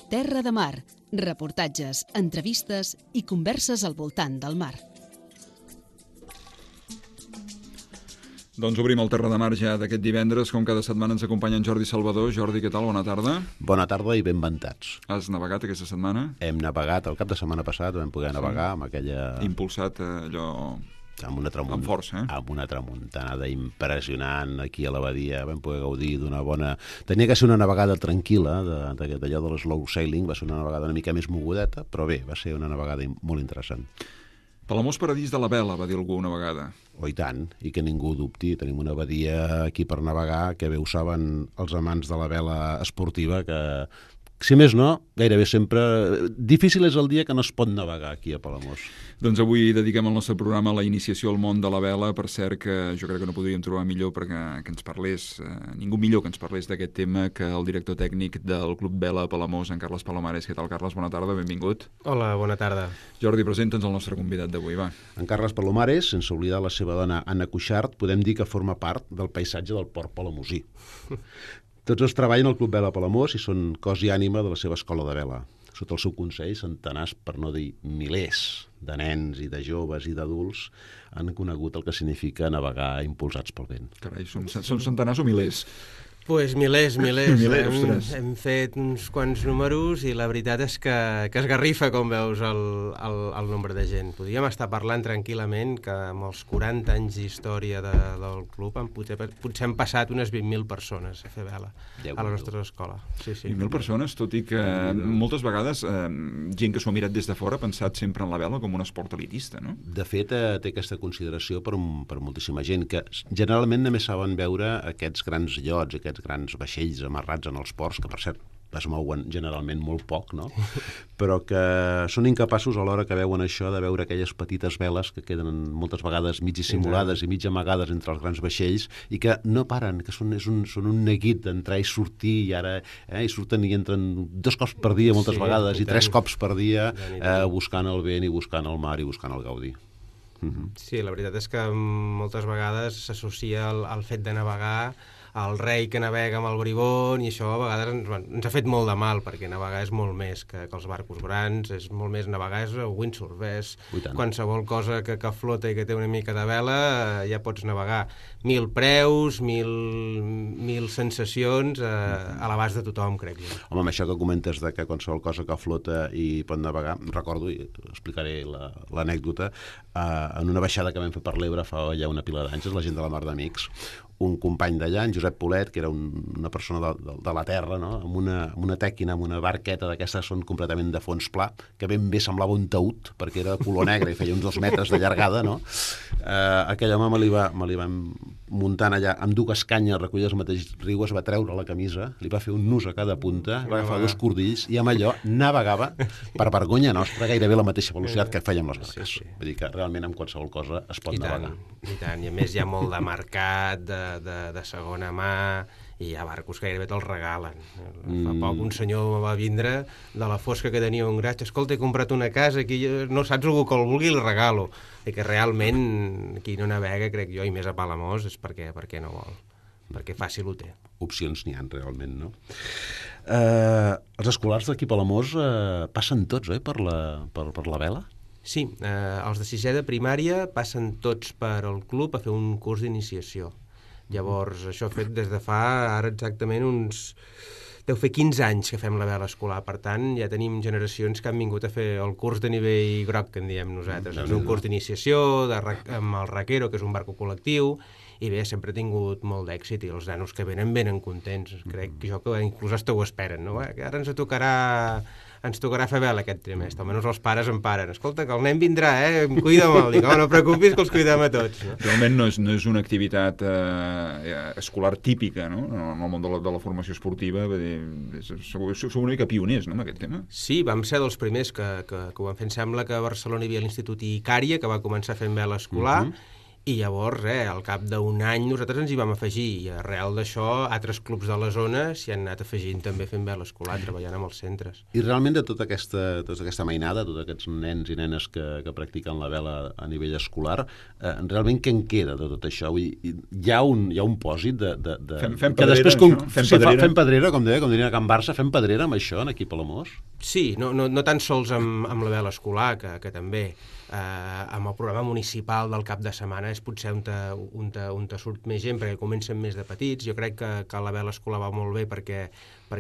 Terra de Mar, reportatges, entrevistes i converses al voltant del mar. Doncs obrim el Terra de Mar ja d'aquest divendres. Com cada setmana ens acompanya en Jordi Salvador. Jordi, què tal? Bona tarda. Bona tarda i ben ventats. Has navegat aquesta setmana? Hem navegat el cap de setmana passat, vam poder navegar amb aquella... Impulsat allò... amb una força, amb una tramuntanada impressionant aquí a la badia. Vam poder gaudir d'una bona... Tenia que ser una navegada tranquil·la, d'allò de l'slow sailing, va ser una navegada una mica més mogudeta, però bé, va ser una navegada molt interessant. Palamós paradís de la vela, va dir algú una vegada. Oh, i tant, i que ningú dubti. Tenim una badia aquí per navegar que bé ho saben els amants de la vela esportiva, que, si més no, gairebé sempre... Difícil és el dia que no es pot navegar aquí a Palamós. Doncs avui dediquem el nostre programa a la iniciació al món de la vela. Per cert, que jo crec que no podríem trobar millor perquè que ens parlés, ningú millor que ens parlés d'aquest tema que el director tècnic del Club Vela a Palamós, en Carles Palomares. Què tal, Carles? Bona tarda, benvingut. Hola, bona tarda. Jordi, presenta'ns el nostre convidat d'avui, va. En Carles Palomares, sense oblidar la seva dona Anna Cuixart, podem dir que forma part del paisatge del port palamosí. Tots dos treballen al Club Vela a Palamós i són cos i ànima de la seva escola de vela. Sota el seu consell, centenars, per no dir milers, de nens i de joves i d'adults han conegut el que significa navegar impulsats pel vent. Carai, són centenars o milers? Pues milers. Milers, hem fet uns quants números i la veritat és que esgarrifa, com veus, el nombre de gent. Podríem estar parlant tranquil·lament que amb els 40 anys d'història del club potser han passat unes 20.000 persones a fer vela a la nostra escola. Sí. 20.000 persones, tot i que moltes vegades gent que s'ho ha mirat des de fora ha pensat sempre en la vela com un esport elitista, no? De fet, té aquesta consideració per moltíssima gent, que generalment només saben veure aquests grans iots, aquests grans vaixells amarrats en els ports, que per cert es mouen generalment molt poc, no? Però que són incapaços a l'hora que veuen això de veure aquelles petites veles que queden moltes vegades mig dissimulades i mig amagades entre els grans vaixells i que no paren, que són un neguit d'entrar i sortir i ara i surten i entren 2 cops per dia moltes vegades i 3 cops per dia buscant el vent i buscant el mar i buscant el gaudi. Sí, la veritat és que moltes vegades s'associa el fet de navegar al rei que navega amb el bribón i això a vegades ens ha fet molt de mal perquè navegar és molt més que els barcos grans, és molt més navegar, és windsurf, és qualsevol cosa que flota i que té una mica de vela ja pots navegar. 1.000 preus, 1.000 sensacions a l'abast de tothom, crec jo. Home, amb això que comentes de que qualsevol cosa que flota i pot navegar, recordo, i explicaré l'anècdota, en una baixada que vam fer per l'Ebre fa ja una pila d'anys, la gent de la Mar d'Amics, un company d'allà, en Josep Polet, que era una persona de la terra, no? amb una tèquina, amb una barqueta d'aquestes són completament de fons pla, que ben bé semblava un taüt, perquè era de color negre i feia uns 2 metres de llargada, no? Aquell home me li va muntant allà amb 2 canyes recollides al mateix riu, es va treure la camisa, li va fer un nus a cada punta, va agafar 2 cordills i amb allò navegava per vergonya nostra gairebé la mateixa velocitat que fèiem les barques. Sí. Vull dir que realment amb qualsevol cosa es pot navegar. I tant, i a més hi ha molt de mercat, de segona mà, i hi ha barcos que gairebé te'ls regalen. Fa poc un senyor va vindre de la fosca que tenia un gratge, escolta, he comprat una casa aquí, no saps algú que el vulgui, el regalo. I que realment qui no navega, crec jo, i més a Palamós, és perquè no vol, perquè fàcil ho té. Opcions n'hi ha realment, no? Els escolars d'aquí a Palamós passen tots, per la vela? Sí, els de 6è de primària passen tots per al club a fer un curs d'iniciació. Llavors, això fet des de fa ara exactament deu fer 15 anys que fem la vela escolar. Per tant, ja tenim generacions que han vingut a fer el curs de nivell groc, que en diem nosaltres. És un curs d'iniciació amb el Raquero, que és un barco col·lectiu, i bé, sempre he tingut molt d'èxit i els nanos que venen contents. Crec jo que inclús hasta ho esperen, no? Que ara ens tocarà fer vela aquest trimestre, almenys els pares em paren. Escolta, que el nen vindrà, cuida'm-el. Dic, no preocupis, que els cuidem a tots. No? Realment no és una activitat escolar típica, no? En el món de la formació esportiva. Sou una mica pioners, no?, en aquest tema. Sí, vam ser dels primers que ho vam fer. Em sembla que a Barcelona hi havia l'Institut Icària, que va començar fent vela escolar, I llavors, al cap d'un any, nosaltres ens hi vam afegir, i arrel d'això, altres clubs de la zona s'hi han anat afegint també fent vela escolar, treballant amb els centres. I realment de tota aquesta mainada, tots aquests nens i nenes que practiquen la vela a nivell escolar, realment què en queda de tot això? Vull dir, hi ha un pòsit de... Fem pedrera, fem pedrera, com diria a Can Barça, fem pedrera amb això, aquí a Palamós? Sí, no tan sols amb la vela escolar, que també... amb el programa municipal del cap de setmana és potser on surt més gent, perquè comencen més de petits. Jo crec que la vela escolar va molt bé perquè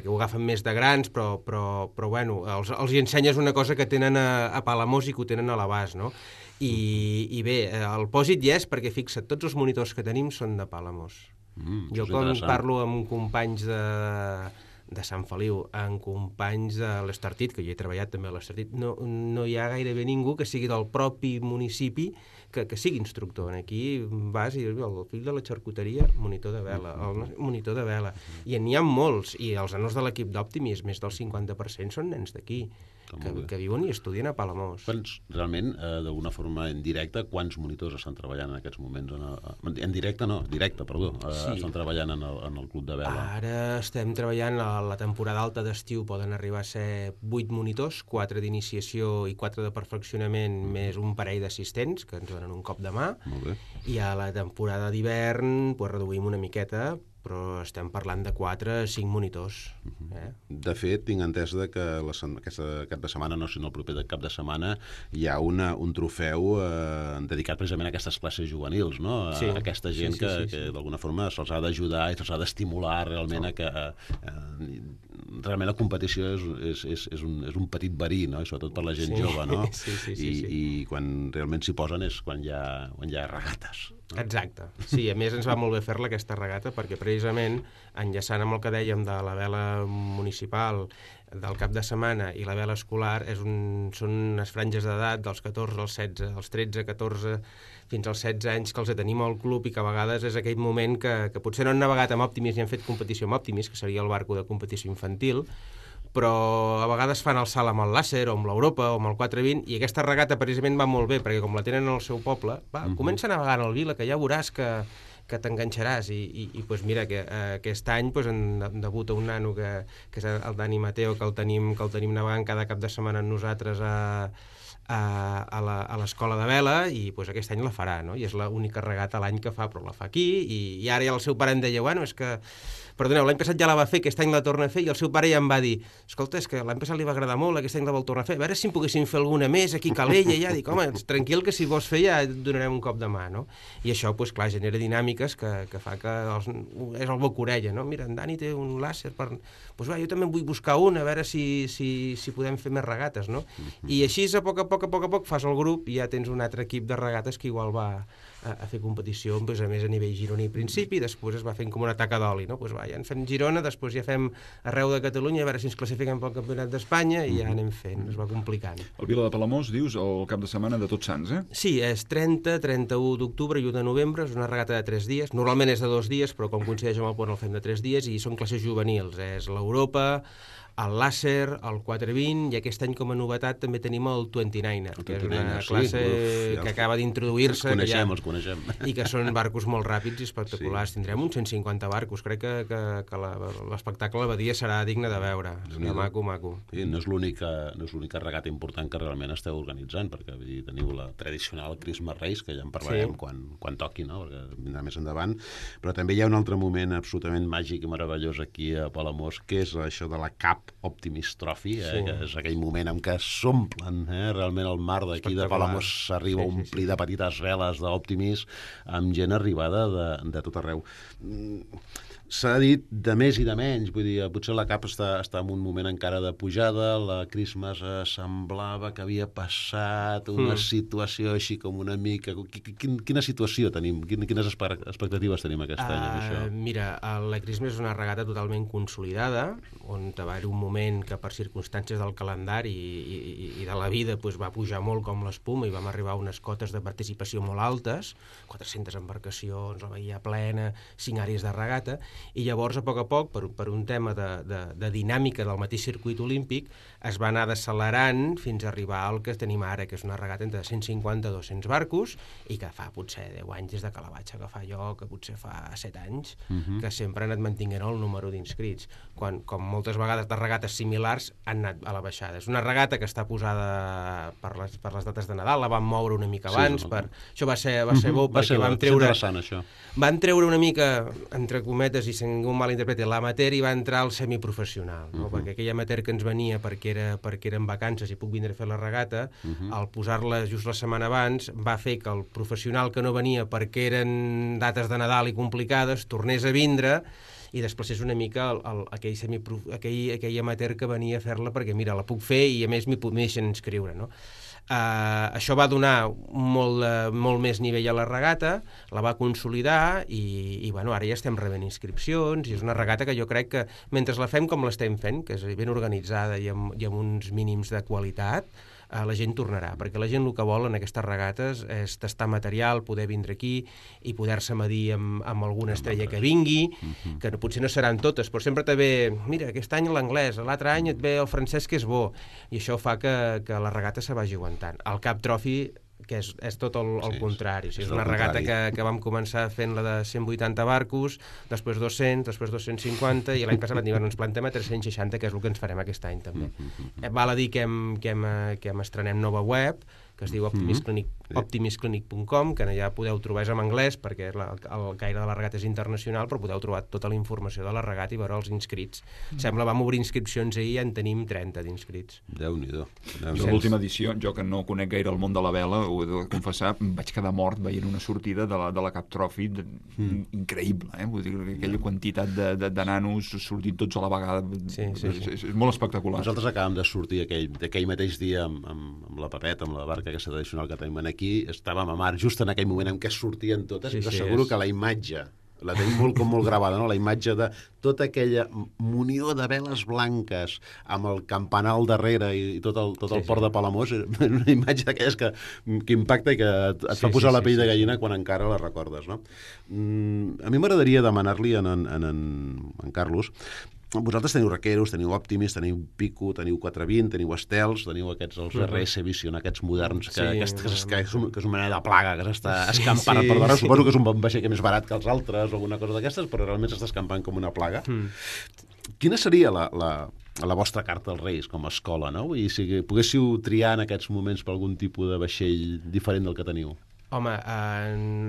ho agafen més de grans, però bueno, els hi ensenyes una cosa que tenen a Palamós i que ho tenen a l'abast, no? I bé, el pòsit hi és perquè, fixa't, tots els monitors que tenim són de Palamós. Jo quan parlo amb companys de Sant Feliu, amb companys de l'Estartit, que jo he treballat també a l'Estartit, no hi ha gairebé ningú que sigui del propi municipi que sigui instructor. Aquí vas i dius, el fill de la xarcuteria, monitor de vela, el monitor de vela. I n'hi ha molts, i els anors de l'equip d'Òptimis, més del 50% són nens d'aquí, que viuen i estudien a Palamós. Realment, d'alguna forma indirecta, quants monitors estan treballant en aquests moments? En directe no, directe, perdó. Sí. Estan treballant en el club de vela. Ara estem treballant, a la temporada alta d'estiu poden arribar a ser 8 monitors, 4 d'iniciació i 4 de perfeccionament, més un parell d'assistents, que ens donen un cop de mà. Molt bé. I a la temporada d'hivern reduïm una miqueta, però estem parlant de 4 a 5 monitors. De fet, tinc entès que aquest cap de setmana, no, sinó el proper cap de setmana, hi ha un trofeu dedicat precisament a aquestes classes juvenils, no? A aquesta gent que d'alguna forma se'ls ha d'ajudar i se'ls ha d'estimular realment a que realment la competició és un petit verí, no? I sobretot per la gent jove, no? I quan realment s'hi posen és quan hi ha regates. Exacte. Sí, a més ens va molt bé fer-la aquesta regata perquè precisament enllaçant amb el que dèiem de la vela municipal del cap de setmana i la vela escolar són unes franges d'edat dels 14 als 16, dels 13, 14 fins als 16 anys que els tenim al club i que a vegades és aquell moment que potser no han navegat amb Òptimis i han fet competició amb Òptimis, que seria el barco de competició infantil, però a vegades fan el salt amb el làser o amb l'Europa o amb el 420 i aquesta regata precisament va molt bé perquè com la tenen al seu poble, comença a navegar en el Vila, que ja veuràs que t'enganxaràs i pues mira que aquest any pues, debuta un nano que és el Dani Mateo, que el tenim navegant cada cap de setmana amb nosaltres a l'escola de vela i pues, aquest any la farà, no? I és l'única regata l'any que fa, però la fa aquí i ara ja el seu pare em deia, bueno, és que perdoneu, l'any passat ja la va fer, aquest any la torna a fer i el seu pare ja em va dir, escolta, és que l'any passat li va agradar molt, aquest any la vol tornar a fer, a veure si en poguéssim fer alguna més aquí a Calella, ja dic, home, tranquil que si vols fer ja et donarem un cop de mà, no? I això, pues, clar, genera dinàmiques que fa que és el boca-orella, no? Mira, en Dani té un làser per... Pues va, jo també en vull buscar un, a veure si podem fer més regates, no? I així a poc fas el grup i ja tens un altre equip de regates que igual va a fer competició, pues, a més a nivell gironí al principi, després es va fent com una taca d'oli, no? Pues va, ja en fem Girona, després ja fem arreu de Catalunya, a veure si ens classifiquem pel Campionat d'Espanya i ja anem fent, es va complicant. El Vila de Palamós, dius, el cap de setmana de Tots Sants, eh? Sí, és 30, 31 d'octubre i 1 de novembre, és una regata de 3 dies, normalment és de 2 dies, però com coincideix amb el pont el fem de 3 dies i són classes juvenils, és l'Europa, el làser, el 420 i aquest any com a novetat també tenim el 29er, que és una classe que acaba d'introduir-se els coneixem i que són barcos molt ràpids i espectaculars. Tindrem uns 150 barcos, crec que l'espectacle a la badia serà digne de veure, maco. Sí, no és l'única regata important que realment esteu organitzant, perquè teniu la tradicional Christmas Race, que ja en parlarem quan toqui, no? Perquè vindrà més endavant, però també hi ha un altre moment absolutament màgic i meravellós aquí a Palamós, que és això de la Cap Optimis Trophy, que és aquell moment en què s'omplen realment el mar d'aquí de Palamós s'arriba a omplir de petites veles d'Optimis amb gent arribada de tot arreu. S'ha dit de més i de menys, vull dir, potser la Cap està en un moment encara de pujada, la Christmas semblava que havia passat una situació així com una mica... Quina situació tenim? Quines expectatives tenim aquest any amb això? Mira, la Christmas és una regata totalment consolidada, on va haver un moment que per circumstàncies del calendari i de la vida va pujar molt com l'espuma i vam arribar a unes cotes de participació molt altes, 400 embarcacions, la bahia plena, 5 àrees de regata, i llavors a poc, per un tema de dinàmica del mateix circuit olímpic, es va anar accelerant fins a arribar al que tenim ara, que és una regata entre 150 i 200 barcos, i que fa potser 10 anys des de que la vaig agafar jo, que potser fa 7 anys, que sempre han anat mantinguent el número d'inscrits, quan, com moltes vegades de regates similars, han anat a la baixada. És una regata que està posada per les dates de Nadal, la van moure una mica abans, això va ser bo, perquè vam treure... Això. Van treure una mica, entre cometes, i si ningú malinterpreti, l'amateur i va entrar al semiprofessional, no? Perquè aquell amateur que ens venia perquè era en vacances i puc vindre a fer la regata, al posar-la just la setmana abans, va fer que el professional que no venia perquè eren dates de Nadal i complicades, tornés a vindre i desplacés una mica aquell amateur que venia a fer-la perquè, mira, la puc fer i a més m'hi deixen inscriure, no? Això va donar molt més nivell a la regata, la va consolidar i bueno, ara ja estem rebent inscripcions i és una regata que jo crec que mentre la fem com l'estem fent, que és ben organitzada i amb uns mínims de qualitat, la gent tornarà, perquè la gent el que vol en aquestes regates és tastar material, poder vindre aquí i poder-se medir amb alguna estrella que vingui, que potser no seran totes, però sempre te ve, mira, aquest any l'anglès, l'altre any et ve el francès que és bo, i això fa que la regata se vagi aguantant. El Cup Trophy, que és tot el contrari. O sigui, és una regata que vam començar fent-la de 180 barcos, després 200, després 250, i l'any passat vam dir, ens plantem a 360, que és el que ens farem aquest any també. Val a dir que hem estrenem nova web, que es diu optimisclinic.com, que allà podeu trobar, és en anglès, perquè el caire de la regata és internacional, però podeu trobar tota la informació de la regata i veure els inscrits. Sembla, vam obrir inscripcions ahir i en tenim 30 d'inscrits. Déu-n'hi-do. Jo l'última edició, jo que no conec gaire el món de la vela, ho he de confessar, vaig quedar mort veient una sortida de la Cup Trophy increïble, Vull dir, aquella quantitat de nanos sortint tots a la vegada. És molt espectacular. Nosaltres acabem de sortir aquell mateix dia amb la Pepeta, amb la barca aquesta tradicional que tenim aquí, estàvem a mar just en aquell moment en què sortien totes, i t'asseguro que la imatge la tenim molt gravada, no? La imatge de tota aquella munió de veles blanques amb el campanar al darrere i tot el port de Palamós, una imatge d'aquelles que impacta i que et fa posar la pell de gallina quan encara la recordes, no? A mi m'agradaria demanar-li en Carlos, vosaltres teniu Raqueros, teniu Optimis, teniu Pico, teniu 420, teniu Estels, teniu els RS Vision, aquests moderns, que és una manera de plaga que s'està escampant per darrere. Suposo que és un vaixell que és més barat que els altres o alguna cosa d'aquestes, però realment s'està escampant com una plaga. Quina seria la vostra carta als Reis com a escola, no? I si poguéssiu triar en aquests moments per algun tipus de vaixell diferent del que teniu? Home,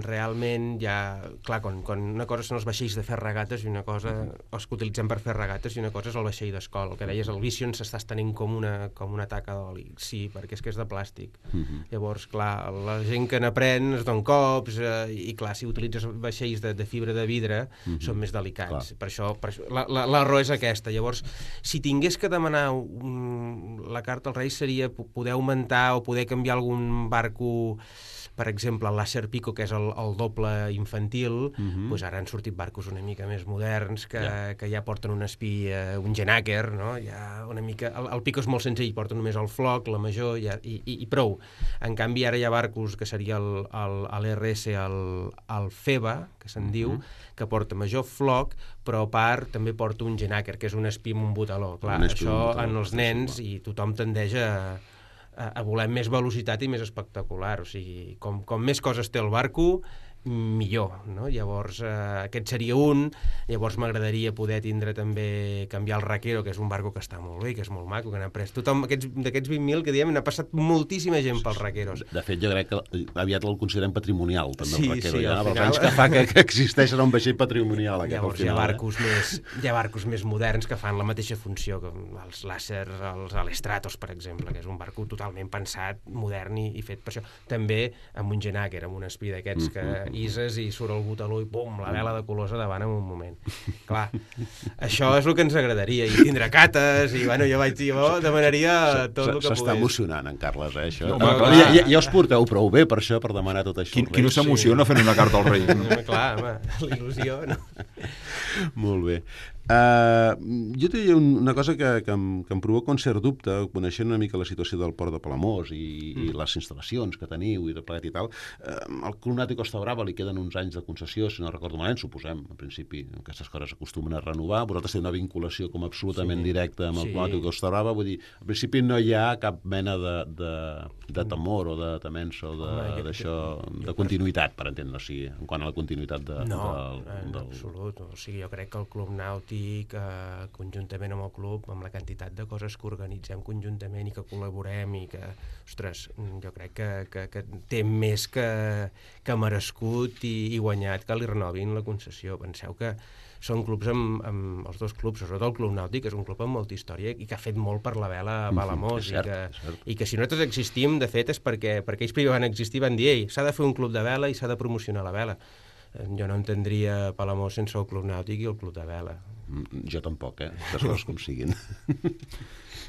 realment ja... Clar, quan una cosa són els vaixells de fer regates i una cosa, els que utilitzem per fer regates, i una cosa és el vaixell d'escola. El que deies, el Vision s'està estenent com una taca d'oli. Sí, perquè és que és de plàstic. Llavors, clar, la gent que n'aprèn es don cops i, clar, si utilitzes vaixells de fibra de vidre són més delicats. Per això l'error és aquesta. Llavors, si tingués que demanar la carta als Reis seria poder augmentar o poder canviar algun barco. Per exemple, el Láser Pico, que és el doble infantil, doncs ara han sortit barcos una mica més moderns que ja porten un espí, un Genaker, no? Ja una mica... El Pico és molt senzill, porta només el floc, la major, i prou. En canvi, ara hi ha barcos que seria l'RS, el FEBA, que se'n diu, que porta major floc, però a part també porta un Genaker, que és un espí amb un botaló. Clar, això en els nens, i tothom tendeix a voler més velocitat i més espectacular. O sigui, com més coses té el barco, millor, no? Llavors, aquest seria un. Llavors m'agradaria poder tindre també, canviar el Raquero, que és un barco que està molt bé, que és molt maco, que n'ha pres tothom, d'aquests 20.000 que diem, n'ha passat moltíssima gent pels Raqueros. De fet, jo crec que aviat el considerem patrimonial, també, el Raquero. Sí, els anys que fa que existeix un vaixell patrimonial. Llavors hi ha barcos més moderns que fan la mateixa funció que els Láser, els Alestratos, per exemple, que és un barco totalment pensat, modern i fet per això. També amb un Genaker, amb un espí d'aquests que ises i surt el botaló i pum, la vela de colors a davant en un moment. Clar, això és el que ens agradaria, i tindre cates, i bueno, jo demanaria tot el que pogués. S'està emocionant, en Carles, això. Ja us porteu prou bé per això, per demanar tot això. Qui no s'emociona fent una carta al rei? Clar, home, la il·lusió, no? Molt bé. Jo et diria una cosa que em provoca un cert dubte, coneixent una mica la situació del Port de Palamós i les instal·lacions que teniu i tot plegat i tal. Al Club Nàutic Costa Brava li queden uns anys de concessió, si no recordo malament, suposem, en principi, aquestes coses acostumen a renovar. Vosaltres teniu una vinculació com absolutament directa amb el Club Nàutic Costa Brava, vull dir, en principi no hi ha cap mena de temor o de temença o d'això, de continuïtat, per entendre, o sigui, en quant a la continuïtat en absolut. O sigui, jo crec que el Club Nàutic, conjuntament amb el club, amb la quantitat de coses que organitzem conjuntament i que col·laborem i que, ostres, jo crec que té més que merescut i guanyat que li renovin la concessió. Penseu que són clubs amb els dos clubs, sobretot el Club Nàutic, és un club amb molta història i que ha fet molt per la vela a Palamós, i que si nosaltres existim, de fet, és perquè ells primer van existir, van dir, s'ha de fer un club de vela i s'ha de promocionar la vela. Jo no entendria Palamós sense el Club Nàutic i el Club de Vela. Jo tampoc, les coses com siguin.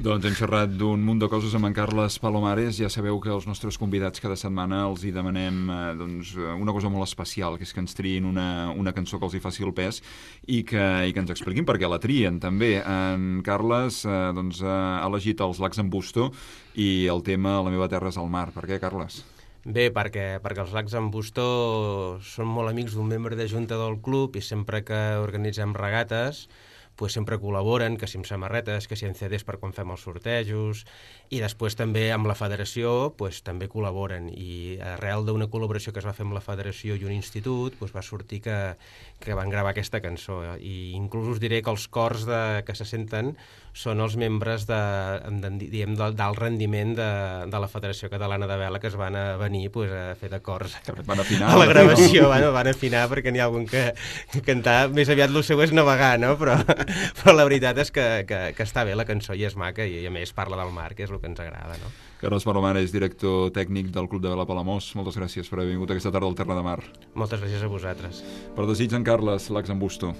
Doncs hem xerrat d'un munt de coses amb en Carles Palomares. Ja sabeu que els nostres convidats cada setmana els hi demanem una cosa molt especial, que és que ens triïn una cançó que els hi faci el pes i que ens expliquin per què la trien, també. En Carles ha elegit els Lacs en Busto i el tema La meva terra és al mar. Per què, Carles? Bé, perquè els Lacs en Busto són molt amics d'un membre de junta del club i sempre que organitzem regates pues sempre col·laboren, que si amb samarretes, que si amb CDs per quan fem els sortejos, i després també amb la federació pues, també col·laboren, i arrel d'una col·laboració que es va fer amb la federació i un institut pues, va sortir que van gravar aquesta cançó, i inclús us diré que els cors que se senten són els membres d'alt rendiment de la Federació Catalana de Vela, que es van a venir pues, a fer de cors a la gravació. Van afinar perquè n'hi ha algun que cantar, més aviat el seu és navegar, no? Però la veritat és que està bé la cançó i és maca, i a més parla del mar, que és el que ens agrada, no? Carles Palomares, director tècnic del Club de Vela Palamós, moltes gràcies per haver vingut aquesta tarda al Terra de Mar. Moltes gràcies a vosaltres. Per desig, en Carles, Lacs en Busto.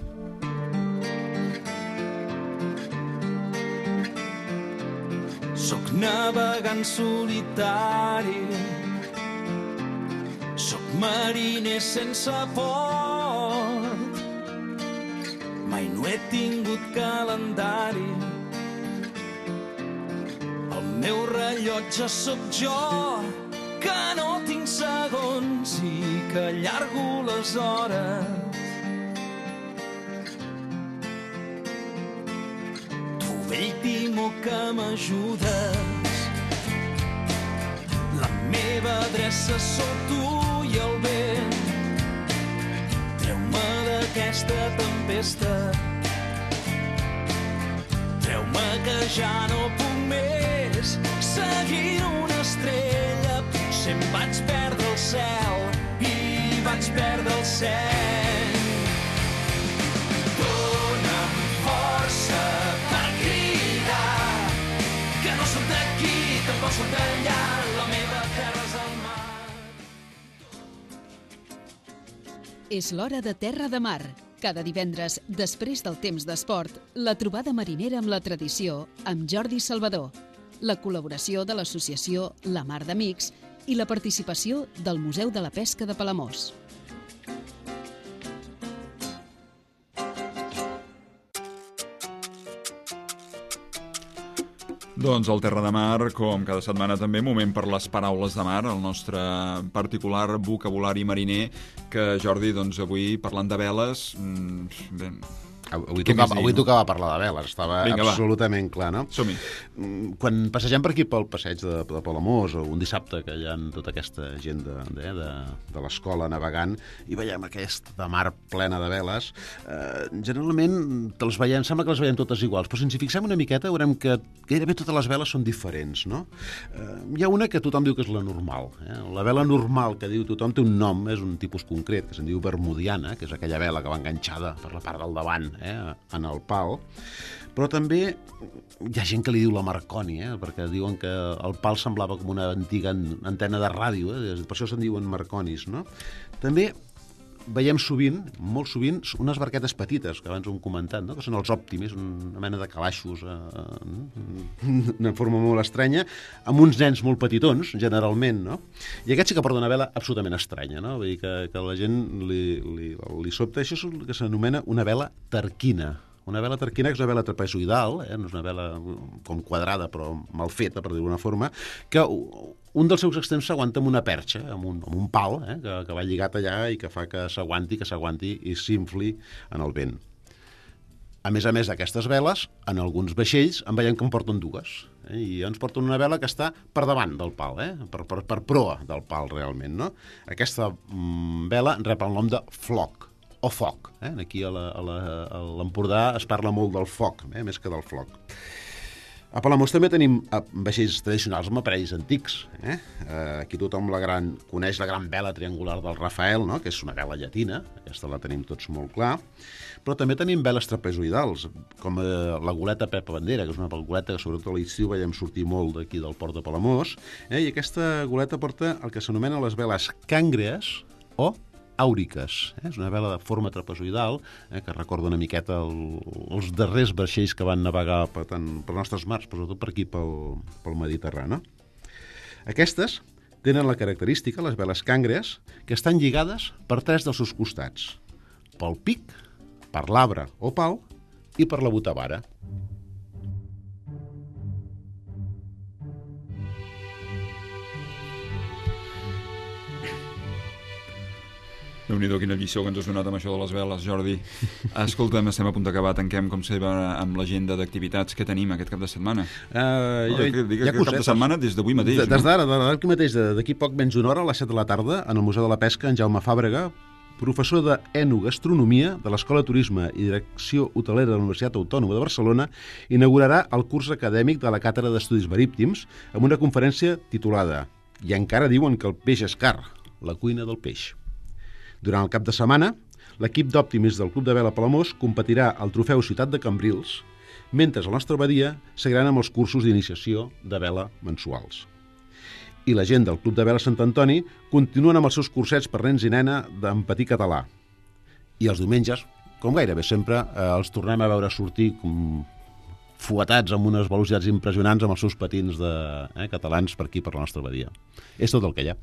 Soc navegant solitari, soc mariner sense port, mai no he tingut calendari, el meu rellotge sóc jo, que no tinc segons i que allargo les hores. Vell timó que m'ajudes, la meva adreça sou tu i el vent. Treu-me d'aquesta tempesta, treu-me que ja no puc més. Seguint una estrella, potser em vaig perdre el cel i vaig perdre el cel. Dóna'm força per cridar, que no soc d'aquí, tampoc soc d'allà, la meva terra és el mar. És l'hora de Terra de Mar. Cada divendres, després del temps d'esport, la trobada marinera amb la tradició amb Jordi Salvador, la col·laboració de l'associació La Mar d'Amics i la participació del Museu de la Pesca de Palamós. Doncs el Terra de Mar, com cada setmana també, moment per les paraules de mar, el nostre particular vocabulari mariner, que Jordi, doncs avui, parlant de veles, bé... Avui tocava parlar de veles, estava absolutament clar, no? Som-hi. Quan passegem per aquí pel passeig de Palamós, o un dissabte que hi ha tota aquesta gent de l'escola navegant, i veiem aquesta mar plena de veles, generalment sembla que les veiem totes iguals, però si ens hi fixem una miqueta veurem que gairebé totes les veles són diferents, no? Hi ha una que tothom diu que és la normal. La vela normal que diu tothom té un nom, és un tipus concret, que se'n diu bermudiana, que és aquella vela que va enganxada per la part del davant, en el pal, però també hi ha gent que li diu la Marconi, perquè diuen que el pal semblava com una antiga antena de ràdio, per això se'n diuen Marconis, no? També veiem sovint, molt sovint, unes barquetes petites, que abans ho hem comentat, no? Que són els òptimis, una mena de calaixos, d'una forma molt estranya, amb uns nens molt petitons, generalment, no? I aquest sí que porta una vela absolutament estranya, no? Vull dir que la gent li sobta. Això és el que s'anomena una vela tarquina. Una vela tarquina és una vela trapezoidal, no és una vela com quadrada però mal feta, per dir-ho d'una forma, que un dels seus extrems s'aguanta amb una perxa, amb un pal, que va lligat allà i que fa que s'aguanti i s'infli en el vent. A més d'aquestes veles, en alguns vaixells en veiem que en porten dues. I ens porten una vela que està per davant del pal, per proa del pal, realment. No? Aquesta vela rep el nom de floc, o foc. Aquí a l'Empordà es parla molt del foc, més que del floc. A Palamós també tenim vaixells tradicionals amb aparells antics. Aquí tothom coneix la gran vela triangular del Rafael, no? Que és una vela llatina, aquesta la tenim tots molt clar, però també tenim veles trapezoidals, com la goleta Pepa Bandera, que és una goleta que sobretot a l'estiu veiem sortir molt d'aquí del port de Palamós, i aquesta goleta porta el que s'anomena les veles càngrees o àuriques. És una vela de forma trapezoidal que recorda una miqueta els darrers vaixells que van navegar per les nostres mars, però sobretot per aquí pel Mediterrani. Aquestes tenen la característica, les veles càngrees, que estan lligades per 3 dels seus costats, pel pic, per l'arbre o pal i per la botavara. Déu-n'hi-do, quina lliçó que ens has donat amb això de les veles, Jordi. Escolta'm, estem a punt d'acabar, tanquem com sempre amb l'agenda d'activitats que tenim aquest cap de setmana. Aquest cap de setmana des d'avui mateix. Des d'ara, d'aquí mateix, d'aquí poc menys d'una hora, a les 7 de la tarda, en el Museu de la Pesca, en Jaume Fàbrega, professor d'Enogastronomia de l'Escola de Turisme i Direcció Hotelera de la Universitat Autònoma de Barcelona, inaugurarà el curs acadèmic de la Càtedra d'Estudis Marítims amb una conferència titulada "I encara diuen que el peix és car, la cuina del peix". Durant el cap de setmana, l'equip d'òptimis del Club de Vela Palamós competirà al Trofeu Ciutat de Cambrils, mentre a la nostra badia seguiran amb els cursos d'iniciació de vela mensuals. I la gent del Club de Vela Sant Antoni continuen amb els seus cursets per nens i nena en patí català. I els diumenges, com gairebé sempre, els tornem a veure sortir fuetats amb unes velocitats impressionants amb els seus patins catalans per aquí, per la nostra badia. És tot el que hi ha.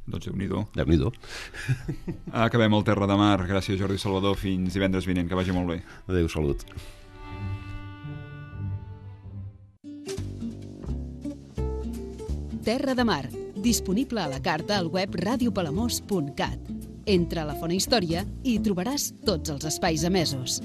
Doncs Déu-n'hi-do. Déu-n'hi-do. Acabem el Terra de Mar. Gràcies, Jordi Salvador. Fins divendres vinent. Que vagi molt bé. Adéu, salut. Terra de Mar, disponible a la carta al web radiopalamós.cat. Entra a la Fona Història i hi trobaràs tots els espais emesos.